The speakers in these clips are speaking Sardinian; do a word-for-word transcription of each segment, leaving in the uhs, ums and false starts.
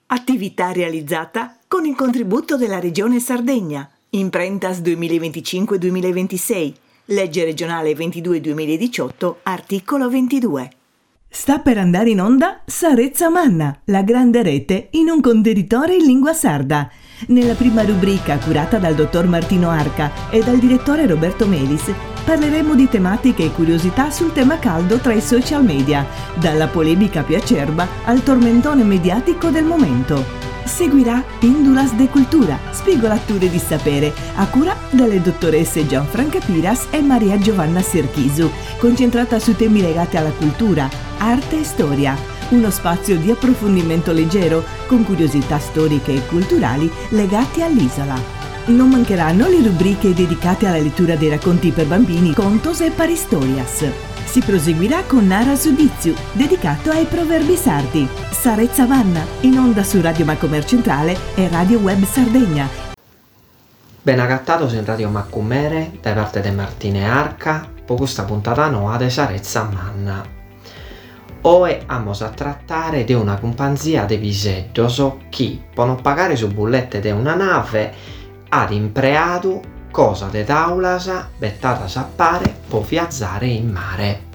Attività realizzata con il contributo della Regione Sardegna. Imprentas duemilaventicinque duemilaventisei. Legge regionale ventidue duemiladiciotto, articolo ventidue. Sta per andare in onda Sa Retza Manna, la grande rete in un contenitore in lingua sarda. Nella prima rubrica, curata dal dottor Martino Arca e dal direttore Roberto Melis, parleremo di tematiche e curiosità sul tema caldo tra i social media, dalla polemica più acerba al tormentone mediatico del momento. Seguirà Pindulas de Cultura, spigolature di sapere, a cura delle dottoresse Gianfranca Piras e Maria Giovanna Serchisu, concentrata su temi legati alla cultura, arte e storia. Uno spazio di approfondimento leggero, con curiosità storiche e culturali legate all'isola. Non mancheranno le rubriche dedicate alla lettura dei racconti per bambini, contos e paristorias. Si proseguirà con Nara su Ditzu, dedicato ai proverbi sardi. Sa Retza Manna, in onda su Radio Macomer Centrale e Radio Web Sardegna. Ben agatados in Radio Macumere, dae parte de Martine Arca, po custa puntada noa de Sa Retza Manna. Oe amos a trattare de una cumpanzia de piseddos chi, po non pagare su bullette de una nave, at impreadu cosa de taulas bettadas a pare po viazare in mare.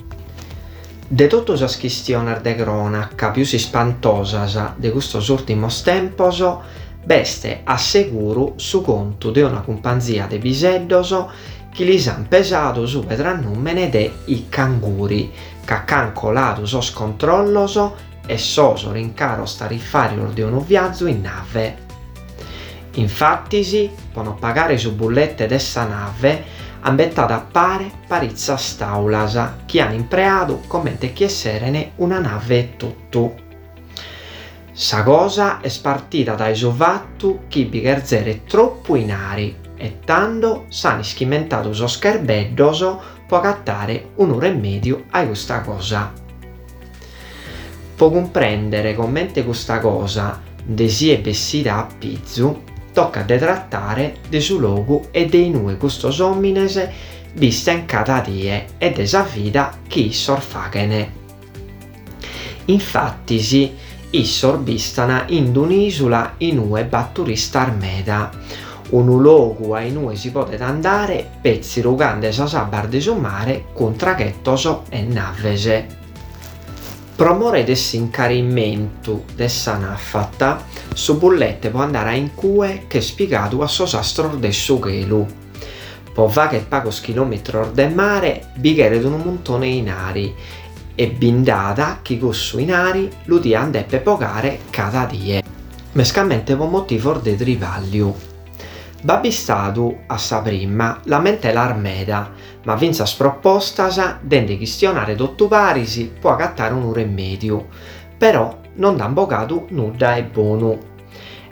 De totu sas chistiones de cronaca pius ispantosas de custos ùrtimos tempos, b'est a seguru su contu de una cumpanzia de piseddos chi lis an pesadu su pedrannùmene de I Canguri, ca ch'an coladu sos controllos e sos rincaros tarifàrios de unu viazu in nave. Infatis, po no pagare su bullete de sa nave, an betadu a pare paritzas taulas chi an impreadu comente chi esseren una nave etotu. Sa cosa est partida dae su fatu chi bi cherzeret tropu 'inari e tando s'an ischimentadu sos cherbeddos po agatare unu remèdiu a custa cosa. Po cumprèndere comente custa cosa nde siet bessida a pizu, tocat de tratare de su logu e de inue custos òmines bisten cada die e de sa vida chi issos faghen. Infatis, issos bistan in un'ìsula inue b'at turistas meda, unu logu a inue si podet andare petzi rugande sas abbas de su mare cun traghetos e naves. Pro more de s'incarimentu de sa nafata, su bullete po andare a in cue ch'est pigadu a sos astros de su chelu. Po fagher pagos chilòmetros de mare bi cheret unu muntone 'e 'inari e bi nd'at chi cussu 'inari lu dian deper bogare cada die, mescamente po motivos de tribàlliu. B'at bistadu, a sa prima, lamentelas meda, ma fintzas propostas de nde chistionare totu paris po agatare unu remèdiu, però non nd'an bogadu nudda 'e bonu.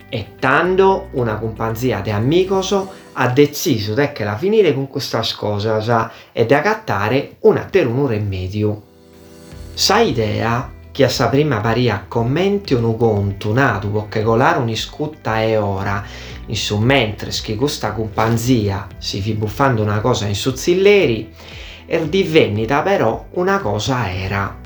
E tando una cumpanzia de amigos at detzisu de che la finire cun custas cosas e de agatare un'aterunu remèdiu. Sa idea, chi a sa prima pariat comente unu contu nadu po che colare un'iscuta 'e ora in su mentres chi custa cumpanzia si fit bufande una cosa in su tzilleri, est divennida però una cosa 'era.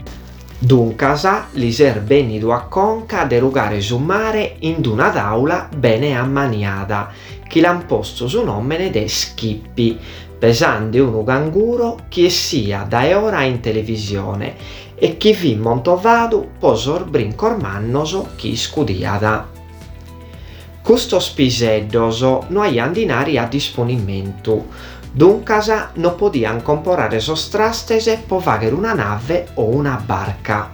Duncas lis est bennidu a conca de rugare su mare in una taula bene ammaniada, chi l'an postu su nòmene de Skippy, pesande unu canguro chi essiat dae ora in televisione e chi fit montovadu po sos brincos mannos chi iscudiat. Custos piseddos no aian dinari a disponimentu, duncas no podian comporare sos trastes po fagher una nave o una barca.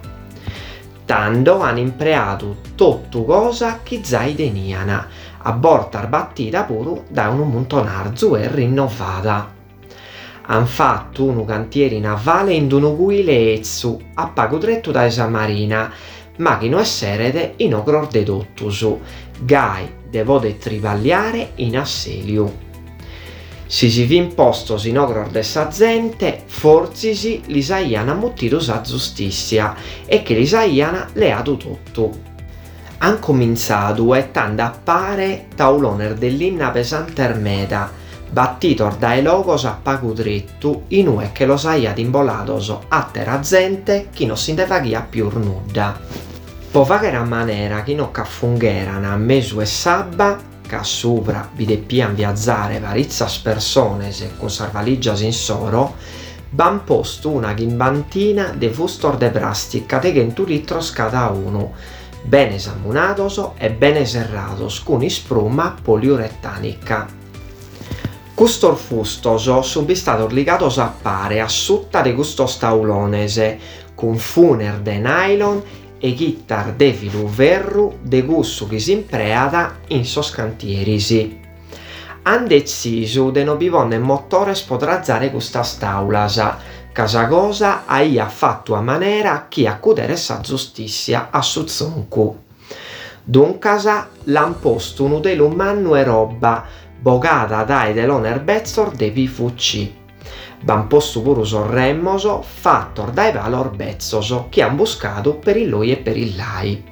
Tando an impreadu totu cosa chi zai tenian, a bortas batida puru dae unu muntonarzu e rinnovada. An fatu unu cantieri navale in unu cuile 'etzu a pagu tretu dae sa marina, ma chi no esseret in ogros de totus, gai de poder triballiare in assèliu. Si si fin postos in ogros de sa zente, fortzis lis aian mutidu sa zustìssia e che lis aian leadu totu. An comintzadu 'etande a pare taulones de linna pesantes meda, batidos dae logos a pagu tretu inue che los aiat imbolados àtera zente chi non si nde faghiat pius nudda. Po fagher a manera chi no ch'afungheran a mesu 'e s'abba, ca subra bi depian viazare paritzas persones cun sas valigias insoro, b'an postu una chimbantina de fustos de prastica de chentu litros cada unu, bene samunados e bene serrados cun ispruma poliuretanica. Custos fustos sun bistados ligados a pare a suta de custos taulones, cun funes de nylon e chittas de filuferru de cussu chi s'impreat in sos cantieris. An detzisu de no bi ponner motores po trazare custas taulas, ca sa cosa aiat fatu a manera chi acuderet sa zustissia a su tzuncu. Duncas l'an postu unu telu mannu 'e roba bogada dae telones betzos de P V C. B'an postu puru sos remos fatos dae palos betzos chi an buscadu per illoi e per illai.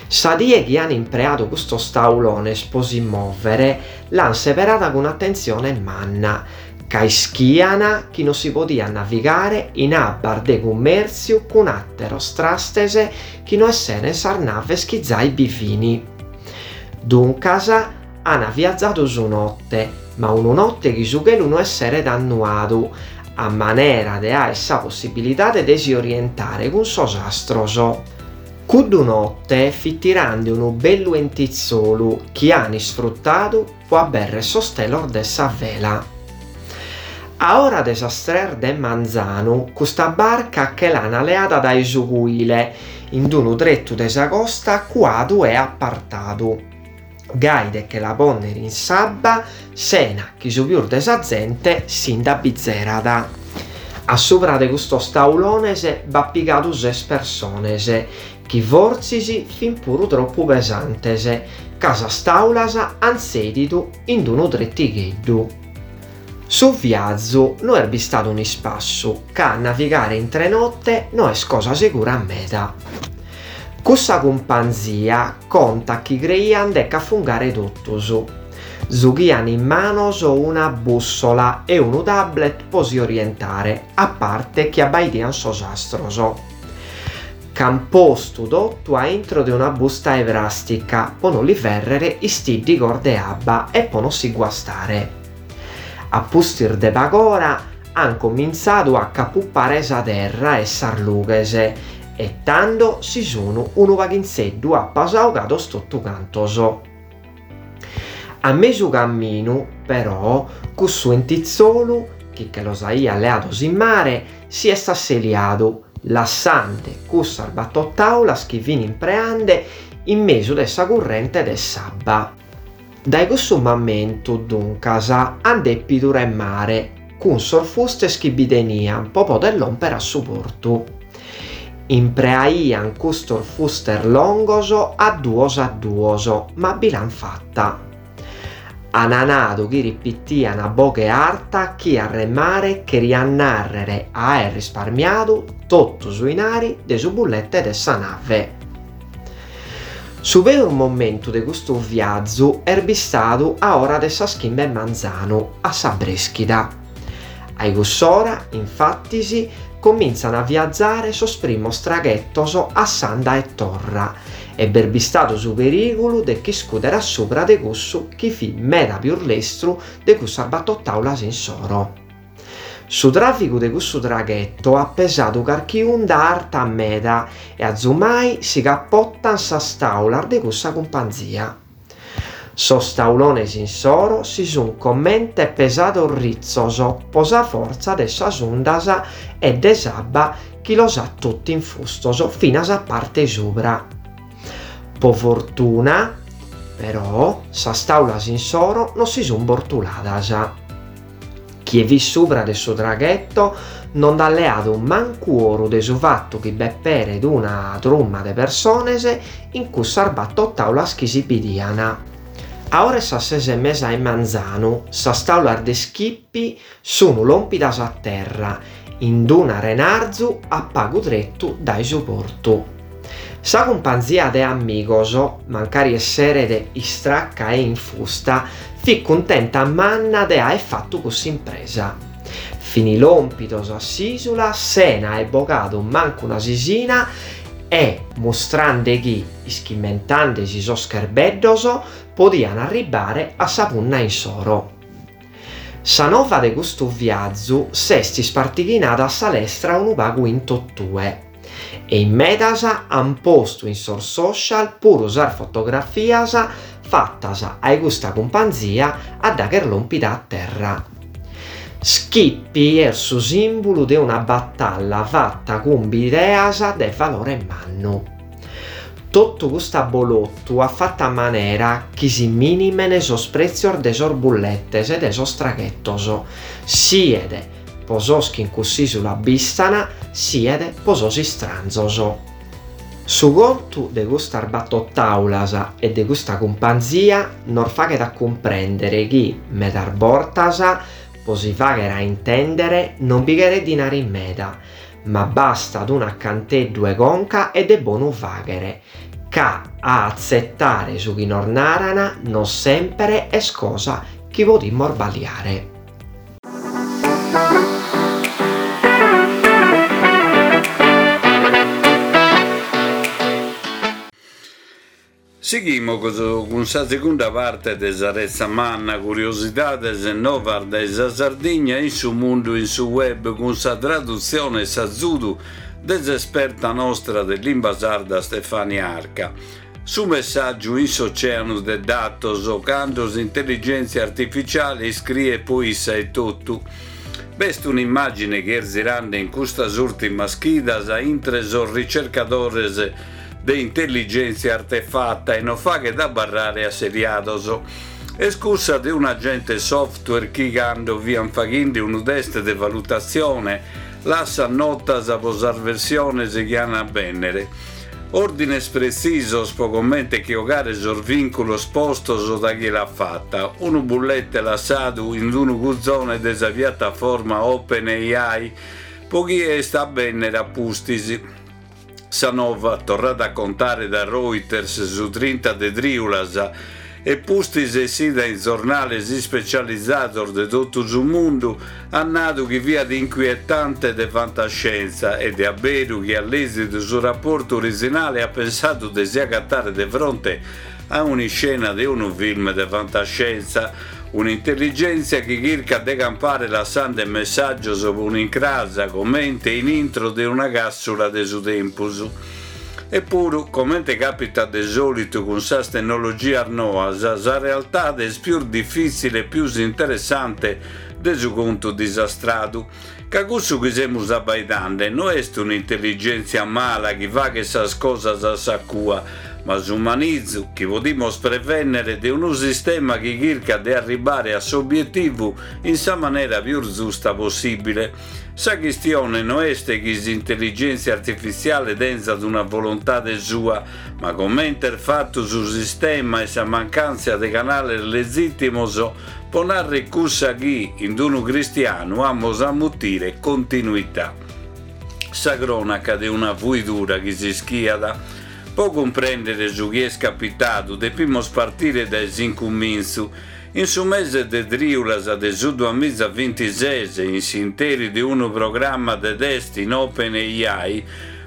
Sa die chi an impreadu custos taulones po si mòvere l'an seberada cun atentzione manna, ca ischian chi non si podiat navigare in abbas de cummèrtziu cun àteros trastes chi no esseren sas naves chi zai bi fini. Duncas an viazadu su notte, ma unu notte chi su chelu no esseret annuadu, a manera de aer sa possibilidade de si orientare cun sos astros. Cuddu notte fit tirande unu bellu entitzolu chi an isfruttadu po aberrer sos telos de sa vela. A ora de sas tres de manzanu, custa barca che l'an leada dae su cuile, in d'unu trettu de sa costa cuadu e apartadu. Gai de che la ponner in s'abba, sena chi su pius de sa zente si nd'abbizerat. A subra de custos taulones b'at pigadu ses persones, chi fortzis fin puru troppu pesantes, ca sas taulas an tzedidu in d'unu trettigheddu. Su viazu no est bistadu un'ispassu, ca navigare intre notte no est cosa segura meda. Cussa cumpanzia contat chi creian de ch'afungare totus. Zughian in manos una bussola e unu tablet po si orientare, a parte chi abbaidian sos astros. Ch'an postu totu a intro de una busta 'e prastica po non li ferrere istiddigos de abba e po non si guastare. A pustis de pagora han comintzadu a capupare sa terra e sas lughes e tando si sunu unu paghinzeddu apasaugados totu cantos. A mesu camminu, però, cussu entitzolu, chi che los aiat leados in mare, si est asseliadu, lassande cussas battor taulas chi fin impreande in mesu de sa currente de s'abba. Dae cussu mamentu, duncas, han depidu remare cun sos fustes chi bi tenian po poder lomper a su portu. Impreaian custos fustes longos a duos a duos, ma bi l'han fatta. Han nadu chi ripitian a boghe arta chi a remare cherian narrere a aer risparmiadu totu su inari de su bullette de sa nave. Su peus momentu de custu viazu est bistadu a ora de sas chimbe manzanu, a sa breschida. A cuss'ora, infattis, comintzan a viazzare sos primos traghettos a s'anda e torra, e b'est bistadu su perigulu de ch'iscudere a subra de cussu chi fit meda pius lestru de cussas battor taulas insoro. Su tràficu de cussu traghetto at pesadu carchi unda arta meda e azumai si capottan sas taulas de cussa cumpanzia. Sos taulones insoro si sun comente pesados rizzos po sa fortza de sas undas e de s'abba chi los at totu infustos finas a parte subra. Po fortuna, però, sas taulas insoro non si sun bortuladas. Chie fit subra de su traghetto non nd'at leadu mancu oru de su fattu chi b'epperet una truma de persones in cussas battor taulas chi si bidian. A ora 'e sas ses e mesa 'e manzanu, sas taulas de Skippy sunu lompidas a terra, in d'una renarzu a pagu trettu dae su portu. Sa cumpanzia de amigos, mancari esseret istracca e infusta, fit cuntenta manna de aer fattu cuss'impresa. Fini lompidos a s'isula sena aer bogadu mancu una sisina E, mustrande chi, ischimentandesi sos cherbeddos, podian arribare a sa punna insoro. Sa nova de custu viazu s'est ispartighinada a sa lestra unu pagu in totue e in medas an postu in sos social puru sas fotografias fatas ai custa cumpanzia a daghi est lòmpida a terra. Skippy est su sìmbulu de una batalla fata cun bideas de valore mannu. Totu custu abolotu at fatu a manera chi si mìnimen sos prètzios de sos bulletes e de sos traghetos, siet po sos chi in cuss'ìsula b'istan, siet po sos istranzos. Su contu de custas bator tàulas e de custa cumpanzia nos faghet a cumprèndere chi, medas bortas, po si fàghere a intèndere non bi cheret dinari meda, ma bastat un'acanteddu 'e conca e de bonu fàghere, ca a atzetare su chi nos naran non semper est cosa chi podimus baliare. Sighimus cun sa segunda parte de sa Retza Manna, curiosidades e novas dae sa Sardigna in su mundu in su web cun sa tradutzione e s'azudu de s'esperta nostra de limba sarda Stefania Arca. Su messàgiu in s'oceanu de datos cando s'intelligèntzia artificiale iscriet po issa etotu. B'est un'immàgine chi est zirande in custas ùrtimas chidas intre sos ricercadores de intelligèntzia artefata e non faghet abarrare asseliados. Est cussa de un'agente software chi cando fiant faghende unu test de valutatzione lassat notas pro sas versiones chi ant a bènnere. Òrdines pretzisos pro comente che 'ogare sos vìnculos postos dae chie l'at fata, unu bullete lassadu in unu cuzone de sa piataforma OpenAI pro chie est a bènnere a pustis. Sa nova, torrada a contare dae Reuters su trinta de trìulas e pustis essida in zornales ispecializados de totu su mundu, at nadu chi fiat inquietante de fantascienza e de a beru chi at lèzidu su raportu orizinale at pensadu de si agatare de fronte a un'iscena de unu film de fantascienza, un'intelligèntzia chi chircat de campare lassande messàgios pro un'incrasa comente in intro de una càssula de su tempus. Epuru, comente càpitat de sòlitu cun sas tennologias noas, sa realtade est pius difìtzile e pius interessante de su contu disastradu, ca cussu chi semus abbaidande no est un'intelligèntzia mala chi faghet sas cosas a sa cua, ma su manizu chi podimus prevènnere de unu sistema chi chircat de arribare a s'obietivu in sa manera pius zusta possìbile. Sa chistione no est chi s'intelligèntzia artifitziale tenzat una volontade sua, ma comente est fatu su sistema e sa mancàntzia de canales lezìtimos pro narrer cussa chi, in unu cristianu, amus a mutire continuità. Sa crònaca de una fuidura chi s'ischiat. Pro cumprèndere su chi est capitadu depimus partire dae s'incumintzu. In su mese de trìulas de su duamiza bintises, in s'interi de unu programma de test in OpenAI,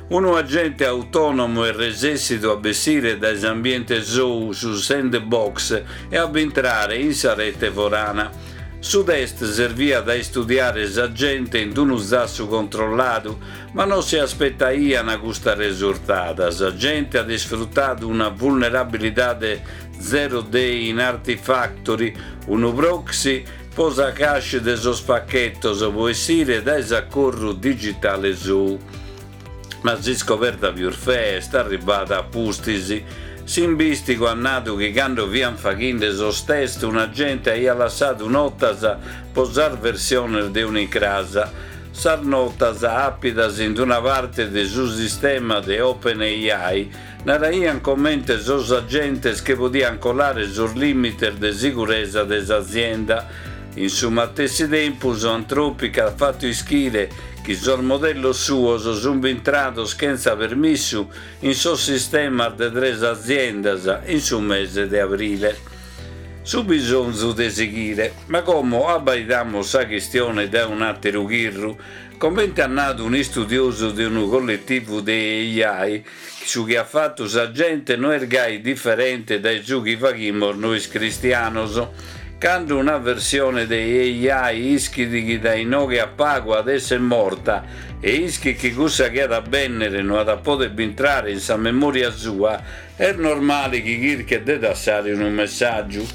unu agente autònomu est resèssidu a bessire dae s'ambiente sou, su sandbox, e a bintrare in sa rete forana. Su test serviat a istudiare s'agente in unu zassu controlladu, ma non si aspetaian custa resurtada. S'agente at isfrutadu una vulnerabilidade zero day in Artifactory, unu proxy pro sa cache de sos pachetos pro essire dae s'acorru digitale sou. Ma s'iscoberta pius fea est arribada a pustis. S'imbìstigu at nadu chi cando fiant faghende sos test un'agente aiat lassadu notas pro sas versiones de un'incrasa. Sas notas, àpidas in una parte de su sistema de OpenAI, naraiant comente sos agentes che podiant colare sos lìmites de siguresa de s'azienda. In su matessi tempus, Anthropic at fatu ischire chi sos modellos suos sunt bintrados chentza permissu in sos sistemas de tres aziendas in su mese de abrile. Su bisonzu de sighire. Ma como abbaidamus sa chistione dae un'àteru chirru. Comente at nadu un'istudiosu de unu colletivu de A I, su chi at fatu sa gente no est gai diferente dae su chi faghimus nois cristianos. Cando una versione de A I ischit chi dae inoghe a pagu at essere morta e ischit chi cussa chi at a bennere no at a poder bintrare in sa memoria sua, est normale chi chirchet de dassare unu messàgiu.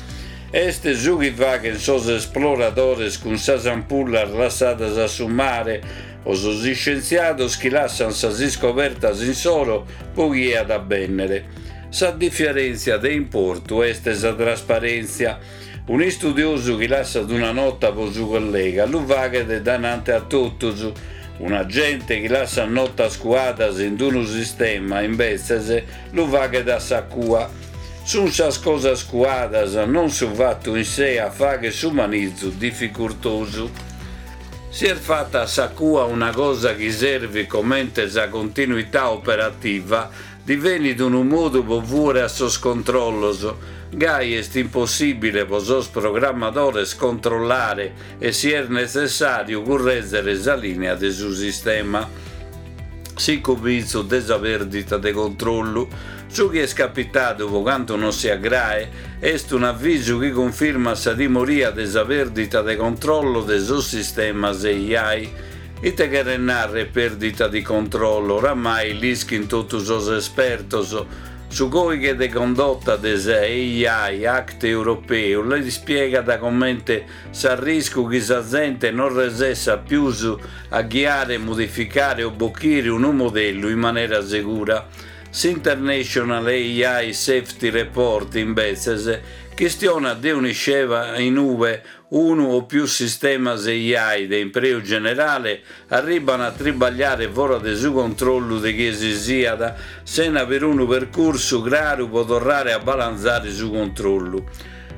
Est su chi faghen sos esploradores cun sas ampullas lassadas a su mare o sos iscientziados chi lassan sas iscobertas insoro pro chie at a bennere. Sa diferèntzia de importu est sa trasparèntzia. Un'istudiosu chi lassat una nota pro su collega lu faghet danante a totus. Un'agente chi lassat notas cuadas in unu sistema, imbetzes, lu faghet a sa cua. Sunt sas cosas cuadas, non su fatu in sé a fagher su manizu dificurtosu. Si est fata a sa cua una cosa chi servit comente sa continuità operativa, divenit unu modu pro fuere a sos controllos. Gai est impossìbile pro sos programmadores controllare e, si est netzessàriu, currèzere sa lìnea de su sistema. S'incomintzu de sa pèrdita de controllu. Su chi est capitadu, pro cantu non siat grae, est un'avisu chi cunfirmat sa timoria de sa pèrdita de controllo de sos sistemas A I. Ite cheret narrer pèrdita di controllo? Oramai l'ischin totu sos espertos. Su còdighe de condotta de sa A I Act europeu l'ispiegat comente s'arriscu chi sa zente non resessat pius a ghiare, modificare o bochire unu modellu in manera segura. S'International A I Safety Report, imbetzes, chistionat de un'iscena in ue unu o pius sistemas A I de impreu generale arriban a tribagliare fora de su controllu de chie si siat, sena perunu percursu craru pro torrare a balanzare su controllu.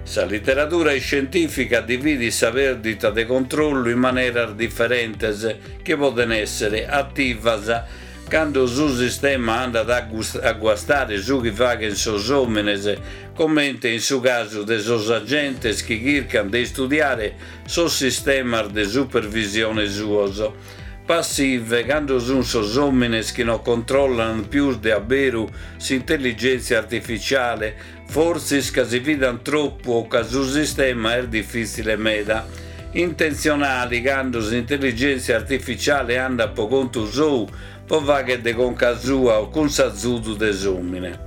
Sa literadura iscientìfica dividit sa pèrdita de controllu in maneras diferentes chi poden èssere ativas cando su sistema andat a guastare su chi faghen sos òmines, comente in su casu de sos agentes chi chircan de istudiare sos sistemas de supervisione suos. Passive, cando sunt sos òmines chi non controllan pius de aberu s'intelligèntzia artificiale, fortzis ca si fidan tropu o ca su sistema est difìtzile meda. Intenzionali, cando s'intelligèntzia artificiale andat pro contu sou, pro fagher de conca sua o cun s'azudu de s'òmine.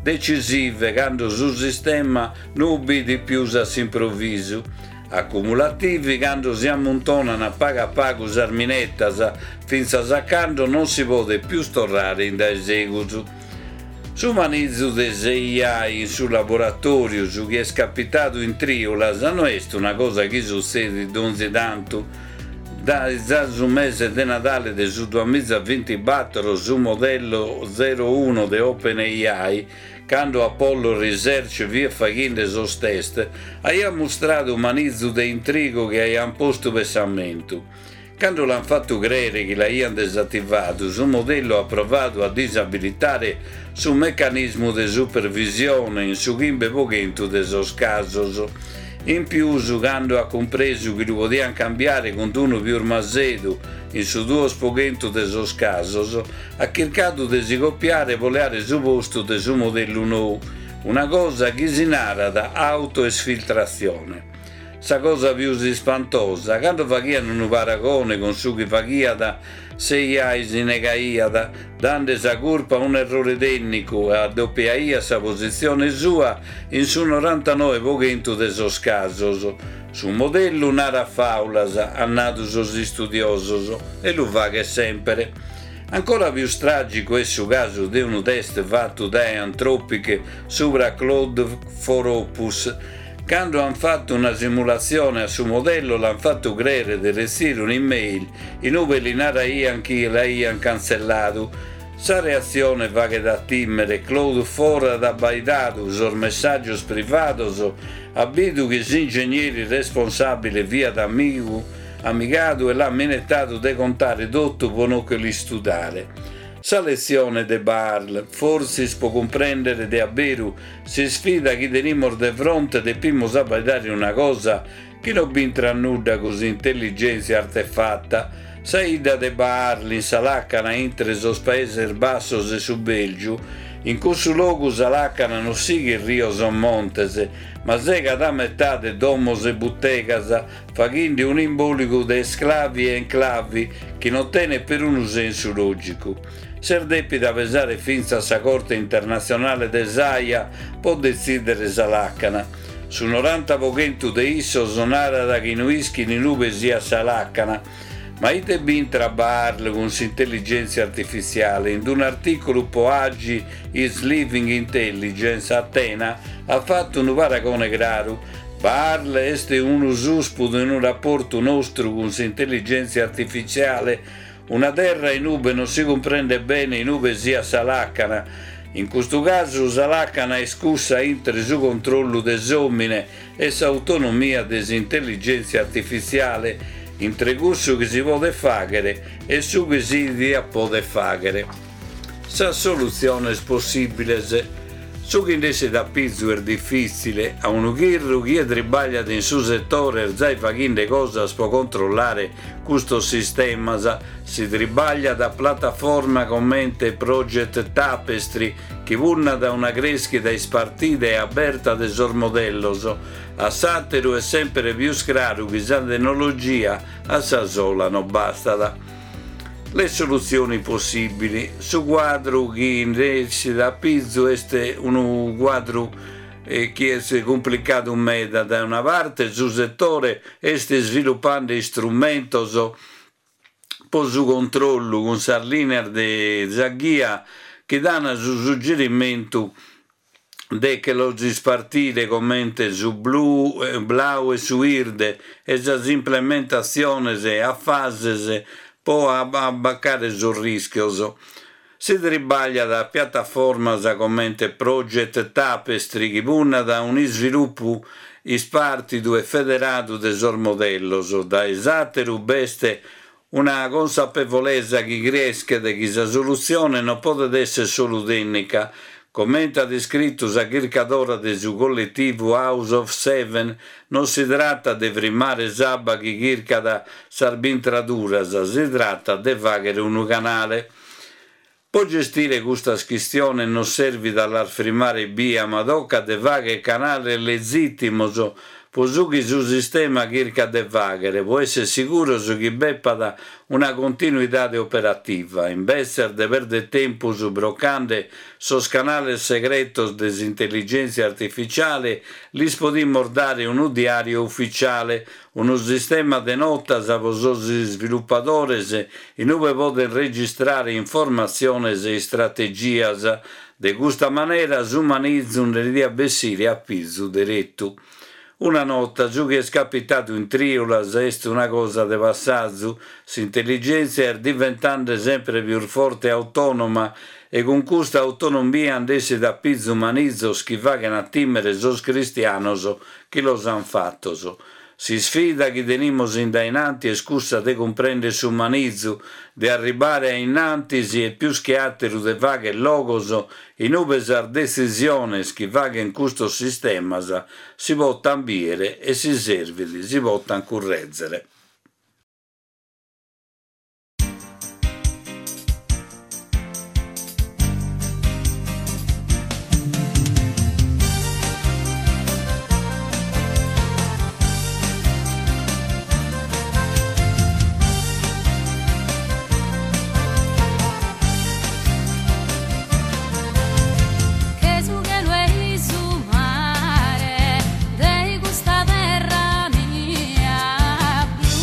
Decisive, cando su sistema no ubbidit pius a s'improvisu. Accumulativi, cando si ammuntonan a pagu a pagu sas minetas, fintzas a cando non si podet pius torrare in dae segus. Su manizu de s'A I in su laboratòriu, su chi est capitadu in Trìulas, no est una cosa chi sutzedit donzi tantu. Dae su mese de Nadale de su duamiza bintibattor, su modello zero uno de OpenAI, cando Apollo Research fiat faghende sos test, aiat mustradu manizu de intrigu chi aian postu pensamentu. Cando l'han fattu crere chi l'aian desativadu, su modellu at provadu a disabilitare su meccanismu de supervisione in su chimbe pro chentu de sos casos. In pius, cando at cumpresu chi lu podian cambiare cun unu pius masedu in su duos pro chentu de sos casos, at chircadu de si copiare pro leare su postu de su modellu nou, una cosa chi si narat autoesfiltrazione. Sa cosa pius ispantosa, cando faghian unu paragone cun su chi faghiat, s'A I si negaiat, dande sa curpa a un'errore tècnicu e addoppiaiat sa positzione sua in su norantanoe pro chentu de sos casos. Su modellu narat faulas, han nadu sos istudiosos, e lu faghet sempre. Ancora pius tràgicu est su casu de unu test fattu dae Anthropic subra Claude four Opus. Cando han fattu una simulatzione a su modello, l'han fattu crere de retzire un'email in ue li naraian chi l'aian cantzelladu. Sa reatzione faghet a timere. Claude four at abbaidadu sos messàgios privados, at bidu chi s'ingegneri responsàbile fiat amigu, amigadu e l'at minetadu de contare totu pro no che l'istudare. Sa letzione de Baarle, fortzis pro cumprèndere de a beru s'isfida chi tenimus de fronte depimus abbaidare una cosa chi no b'intrat nudda cun s'intelligèntzia artefata. Sa 'idda de Baarle in sa làcana intre sos Paeses Bassos e su Bèlgiu. In cussu logu sa làcana no sighit rios o montes, ma segat a metade domos e butegas, faghende un'imbòligu de esclavi e enclavi chi non tenet perunu sensu lògicu. S'est dèpida pesare fintzas sa Corte Internatzionale de s'Aja pro detzìdere sa làcana. Su noranta pro chentu de issos narat chi no ischin in ube siat sa làcana. Ma ite b'intrat Baarle cun s'intelligèntzia artifitziale? In un'artìculu pro Agi is Living Intelligence, Atena at fatu unu paragone craru. Baarle est unu suspu de unu raportu nostru cun s'intelligèntzia artifitziale, una terra in ube non si cumprendet bene in ube siat sa làcana. In custu casu sa làcana est cussa intre su controllu de s'òmine e s'autonomia de s'intelligèntzia artifitziale, intre cussu chi si podet fàghere e su chi si diat poder fàghere. Sas solutziones possìbiles. Su chi nd'essit a pizu est difìtzile. A unu chirru chie tribagliat in su setore est zai faghende cosas pro controllare custos sistemas. Si tribagliat a plataforma comente Project Tapestry, chi punnat a una crèschida ispartida e aberta de sos modellos. A s'àteru est semper pius craru chi sa tecnologia a sa sola non bastat. Le soluzioni possibili. Su cuadru chi nd'essit a pizu est unu cuadru chi est cumplicadu meda. Dae una parte su setore est isvilupende istrumentos pro su controllu cun sas lìneas de sa ghia chi dan su suggerimentu de che los ispartire comente su blu, blau e su 'irde e sas implementatziones a fases pro abbacare sos rìschios. Si tribagliat a piataformas comente Project Tapestry chi punnat a un'isvilupu ispartidu e federadu de sos modellos. Dae s'àteru b'est una consapevolesa chi creschet chi sa solutzione non podet èssere solu tècnica. Comente at iscritu sa chircadora de su colletivu House of Seven, non si tratat de frimmare s'abba chi chircat sas bintraduras, si tratat de fàghere unu canale. Pro gestire custas chistiones non servit a las frimmare bia, ma tocat de fàghere canales lezìtimos pro su chi su sistema chircat de fàghere, pro èssere siguros chi b'epat una continuidade operativa, imbetzes de pèrdere tempus brocande sos canales segretos de s'intelligèntzia artificiale, lis podimus dare unu diàriu ufitziale, unu sistema de notas pro sos isvilupadores in ue podent registrare informatziones e istrategias. De custa manera su manizu nde diat bessire a pizu deretu. Una nota, su chi est capitadu in Trìulas est una cosa de passazu. S'intelligèntzia est diventende semper pius forte e autònoma e cun custa autonomia nd'essit a pizu manizos chi faghen a tìmere sos cristianos chi los an fatos. S'isfida chi tenimus in dae in antis est cussa de cumprèndere su manizu, de arribare a in antis e pius che àteru de fàghere logos in ue sas detzisiones chi faghen custos sistemas si potan bìdere e si servit si potan currèzere. Che su chelu e su mare de custa terra mia blu.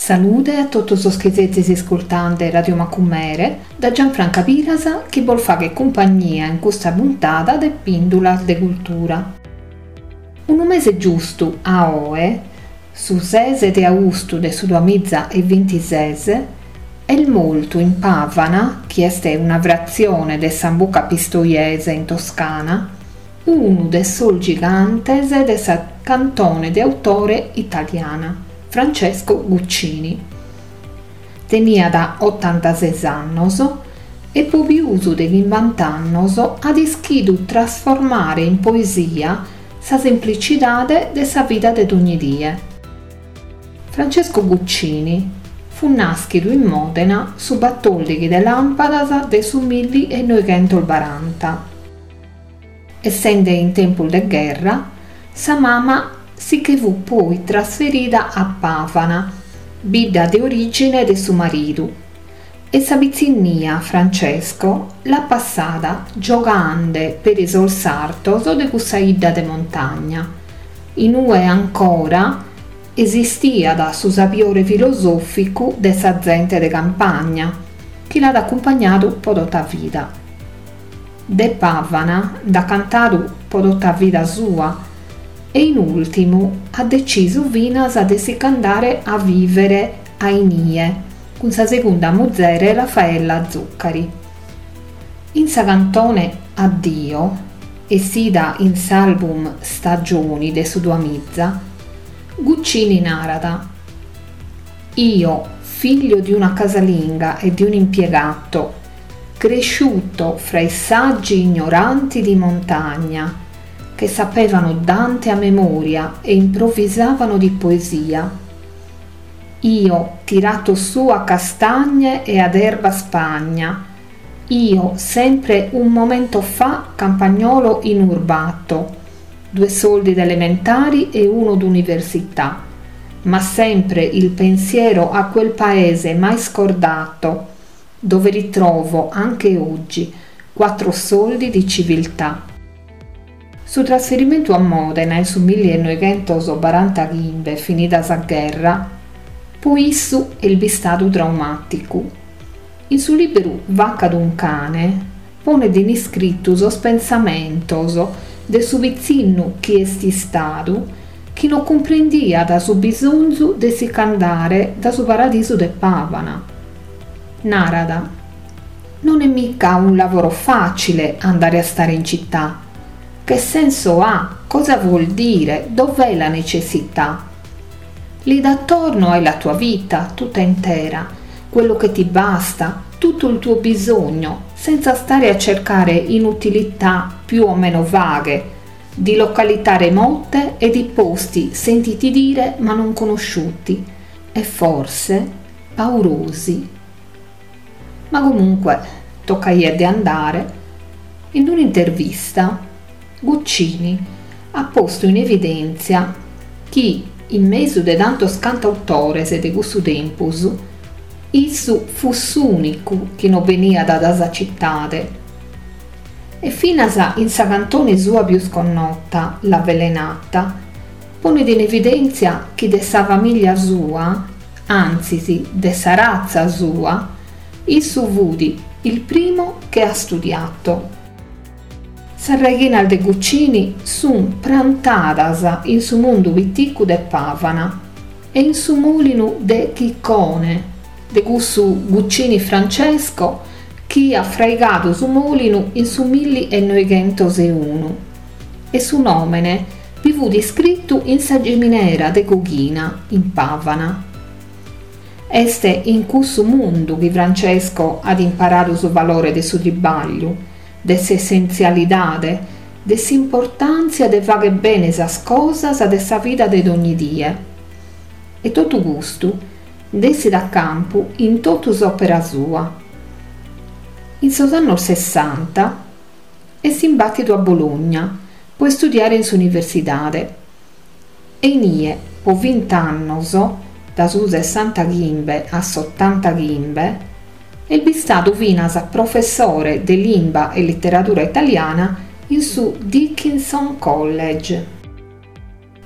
Salude a totu sos chi sezis iscultande Radio Macumere da Gianfranca Piras chi bos faghet cumpagnia in custa puntada de Pìndulas de Cultura. Unu mese giustu a oe, su ses de austu de su duamiza e bintises, est mortu in Pavana, chi est una fratzione de Sambuca Pistoiese in Toscana, unu de sos gigantes de sa cantone de autore italiana, Francesco Guccini. Teniat otantases annos e po pius de chimbant'annos at ischidu trasformare in poesia sa semplicidade de sa vida de dogni die. Francesco Guccini fut nàschidu in Mòdena su batòrdighi de làmpadas de su milli e noighentos baranta. Essende in tempus de gherra, sa mama si che fut poi trasferida a Pavana, bidda de orìgine de su maridu, e sa pitzinnia Francesco l'at passada giogande peri sos sartos de cussa 'idda de montagna, in ue ancora esistiat su sabiore filosòficu de sa zente de campagna, chi l'at acumpagnadu po tota vida. De Pavana nd'at cantadu po tota vida sua e in ùrtimu at detzisu finas de si ch'andare a vìvere a inie cun sa segunda muzere Raffaella Zuccari. In sa cantone Addio, essida in s'album Stagioni de su duamiza, Guccini narat: Io, figlio di una casalinga e di un impiegato, cresciuto fra i saggi ignoranti di montagna, che sapevano Dante a memoria e improvvisavano di poesia. Io, tirato su a castagne e ad erba spagna, io, sempre un momento fa campagnolo inurbato, due soldi d'elementari e uno d'università, ma sempre il pensiero a quel paese mai scordato, dove ritrovo anche oggi quattro soldi di civiltà. Su trasferimentu a Mòdena in su millenoighentos barantachimbe, finida sa gherra, po issu est bistadu traumàticu. In su lìberu Vacca d'un cane ponet in iscritu sos pensamentos de su pitzinnu chi est istadu chi no cumprendiat su bisonzu de si ch'andare da su paradisu de Pavana. Narat: Non è mica un lavoro facile andare a stare in città. Che senso ha? Cosa vuol dire? Dov'è la necessità? Lì d'attorno hai la tua vita tutta intera, quello che ti basta, tutto il tuo bisogno, senza stare a cercare inutilità più o meno vaghe, di località remote e di posti sentiti dire ma non conosciuti e forse paurosi. Ma comunque tocca di andare. In un'intervista Guccini ha posto in evidèntzia chi, in mesu de tantos cantautores de cussu tempus, issu fut s'ùnicu chi no beniat da sa citade. E finas in sa cantone sua pius connota, L'avvelenata, ponet in evidèntzia chi de sa famìlia sua, antzis de sa ratza sua, issu fut il primo che ha studiato. Sas raighinas de Guccini sun prantadas in su mundu piticu de Pavana e in su mòlinu de Chicone, de cussu Guccini Francesco chi at fraigadu su mòlinu in su milli e noighentos e unu e su nòmene bi fut iscritu in sa giminera de coghina in Pavana. Est in cussu mundu chi Francesco at imparadu su valore de su tribagliu, de s'essentzialidade, de s'importàntzia de fagher bene sas cosas de sa vida de dogni die. E totu custu nd'essit a campu in totu s'òpera sua. In sos annos sessanta est imbàtidu a Bologna po istudiare in s'universidade e inie po vint'annos, da su sessantachimbe a s'otantachimbe, est bistadu finas professore de limba e literadura italiana in su Dickinson College.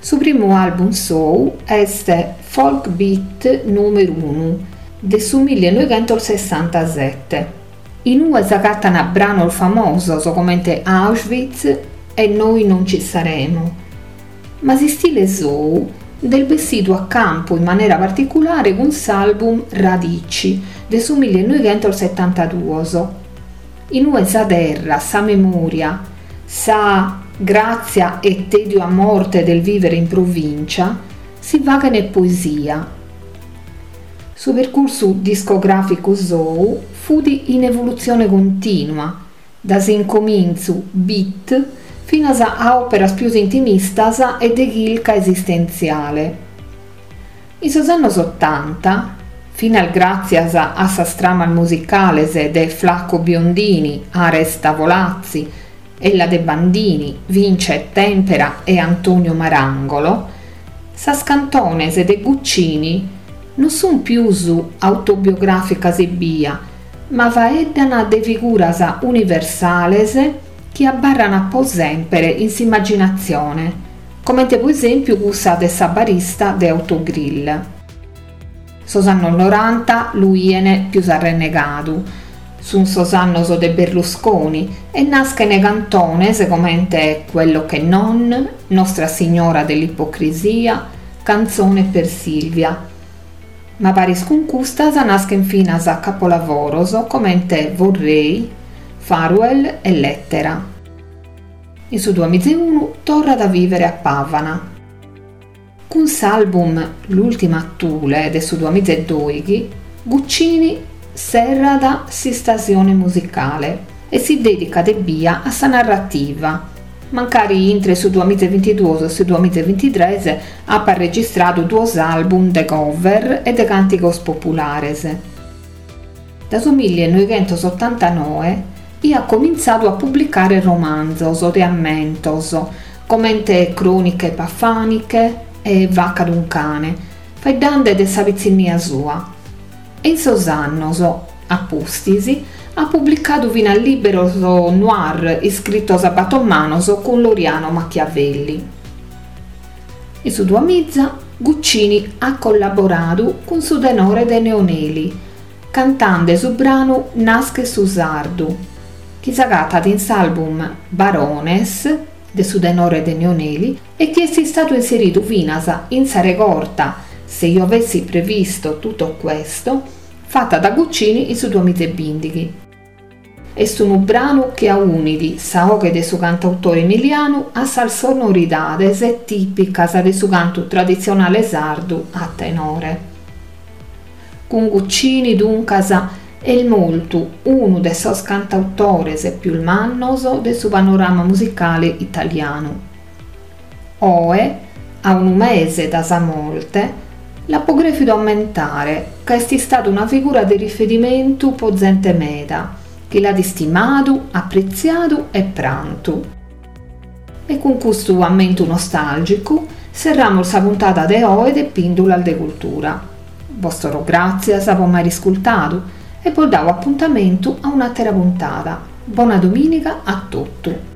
Su primu album sou est Folk Beat numero uno de su millenovecentosessantasette. Inue s'agattan branos famosos comente Auschwitz e Noi non ci saremo. Ma s'istile sou nd'est bessidu a campu in manera particulare cun s'album Radici de su millenovecentossettantaduos. Inue sa terra, sa memoria, sa grazia e tedio a morte del vivere in provincia si faghen poesia. Su percursu discograficu sou fut in evolutzione continua, da s'incomintzu beat finas a òperas pius intimistas e de chirca esistentziale. In sos annos ottanta, finas gràtzias a sas tramas musicales de Flacco Biondini, Ares Tavolazzi, Ellade Bandini, Vince Tempera e Antonio Marangolo, sas cantones de Guccini non sunt pius autobiogràficas ebbia, ma faeddan de figuras universales chi abbarran po sempre in s'immaginatzione, comente po esèmpiu cussa de sa barista de Autogrill. Sos annos noranta lu 'ien pius arrennegadu, sunt sos annos de Berlusconi e naschen cantones comente Quello che non, Nostra Signora dell'ipocrisia, Canzone per Silvia. Ma paris cun custas naschen finas capolavoros comente Vorrei, Farewell e Lettera. In su duamiza e unu torrat a vivere a Pavana. Cun s'album L'ultima Thule de su duamiza e doighi, Guccini serrat s'istasione musicale e si dedicat ebbia a sa narrativa, mancari intre su duamiza e bintiduos e su duamiza e bintitrès apat registradu duos album de cover e de càntigos populares. Da su millenovecentosotantanoe aiat comintzadu a publicare romanzos de ammentos, comente Croniche pafaniche e Vacca d'un cane, faeddende de sa pitzinnia sua. E in sos annos, a pustis, at publicadu finas liberos noir iscritos a bator manos cun Loriano Machiavelli. In su duamiza, Guccini at collaboradu cun su tenore de Neoneli, cantende su branu Naschet su Sardu, chi s'agatat in s'album Barones de su tenore de Neoneli e chi est istadu inseridu finas in sa regorta Se io avessi previsto tutto questo, fatta da Guccini in su duamiza e bindighi. Est unu branu chi aunit sa 'oghe de su cantautore emilianu a sas sonoridades tìpicas de su cantu traditzionale sardu a tenore. Cun Guccini, duncas, est mortu unu de sos cantautores pius mannos de su panorama musicale italianu. Oe, a unu mese da sa morte, l'apo crèfidu ammentare ca est istada una figura de riferimentu po zente meda, chi l'at istimadu, apretziadu e prantu. E cun custu ammentu nostàlgicu serramus sa puntada de oe de Pìndulas de Cultura. Bos torro gràtzias po m'aer iscultadu e bos dao apuntamentu a un'àtera puntada. Bona domìniga a totu.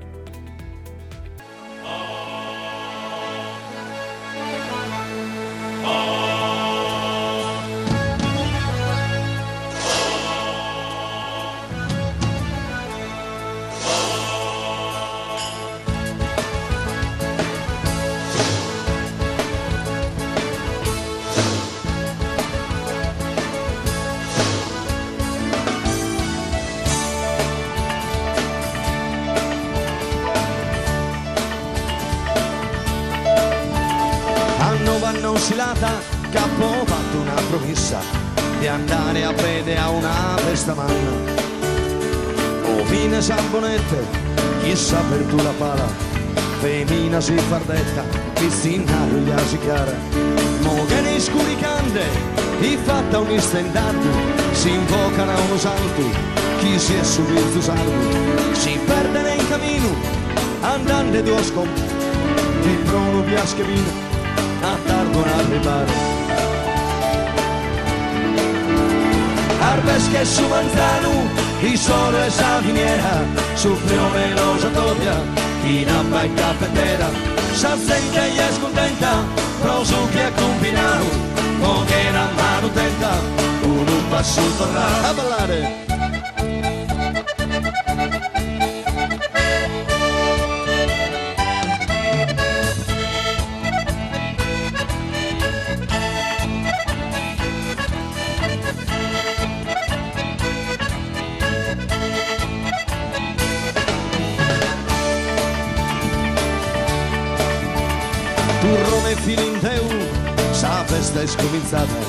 Silata c'apo fatto una promessa di andare a vedere a una festa manna. O fine Sambonette, chissà per tu la pala, femmina si fardetta, piscina ruglia si chiara. Mo che nei scuri cande, i fatta un istendardo, si invocano a uno santo, chi si è subito sardo, si perde nel cammino, andando due scompi, di prono piaschevino, a tardo arrivare. Arbesche su manzano, il sole e sa finiera, su prione lo satopia, chi nappa e caffetera, Sa zente est contenta pro su chi ha combinadu, moghera a manu tenta, unu passu torradu a ballare. Turrone filinteu, sa festa est comintzada,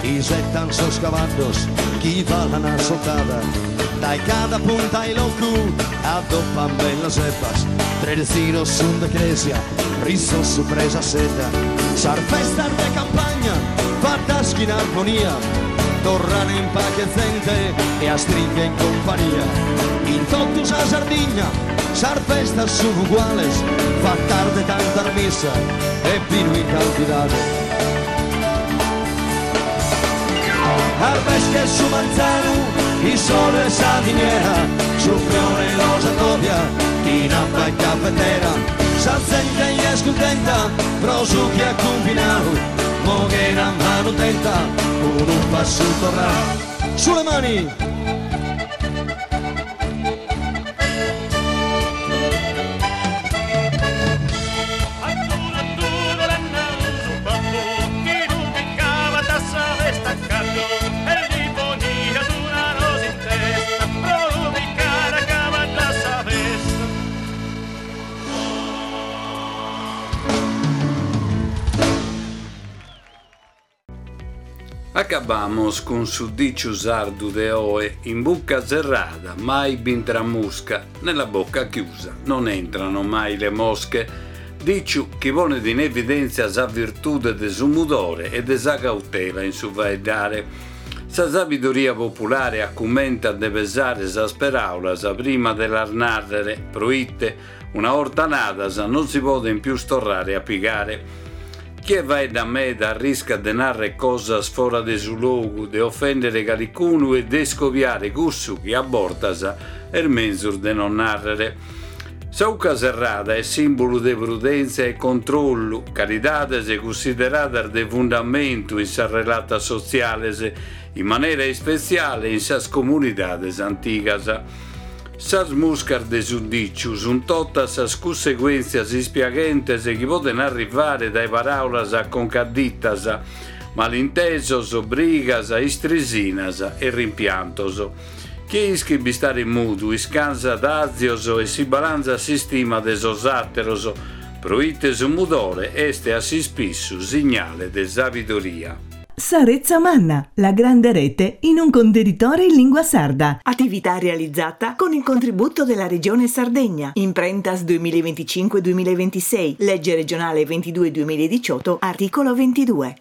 isettan sos cavallos chi falan a soltada. Dai cada punta 'e locu addoppan bellas ebbas, tres ziros sun de cresia, rizzos supra sa sedda. Sas festas de campagna fattas chin armonia, torran in pache zente e astringhen in compagnia. In totu sa Sardigna sas festas sun uguales, fattas de tanta missa e binu in cantidade. Arbesche su manzanu, il sole e sa miniera, su fiore los addobia, in abba e caffetera. Sa zente est contenta pro su chi ha combinadu, moghera manu tenta, unu passu torradu. Sulle mani! Acabamos cun su diciu sardu de oe, in bucca serrada mai b'intra musca, nella bocca chiusa non entrano mai le mosche. Diciu chi ponet in evidèntzia sa virtude de su mudore e de sa cautela in su faeddare. Sa sabidoria populare acumentat de pesare sas peraulas prima de las nàrrere, proite una 'orta nadas non si poden pius torrare a pigare. Chie faeddat meda arriscat de narrer cosas fora de su logu, de ofèndere calicunu e de iscobiare cussu chi a bortas est menzus de non nàrrere. Sa 'ucca serrada est sìmbulu de prudèntzia e controllu, calidades cunsideradas de fundamentu in sas relatas sotziales, in manera ispetziale in sas comunidades antigas. Sas muscas de su diciu sunt totas sas cunseguèntzias ispiaghentes chi poden arrivare dae paraulas concaditas, malintesos, brigas, istrisinas e rimpiantos. Chie ischit bistare mudu iscansat àzios e si balanzat s'istima de sos àteros, proite su mudore est a s'ispissu signale de sabidoria. Sa Retza Manna, la grande rete in un contenitore in lingua sarda. Attività realizzata con il contributo della Regione Sardegna. Imprentas duemilaventicinque duemilaventisei, legge regionale ventidue duemiladiciotto, articolo ventidue.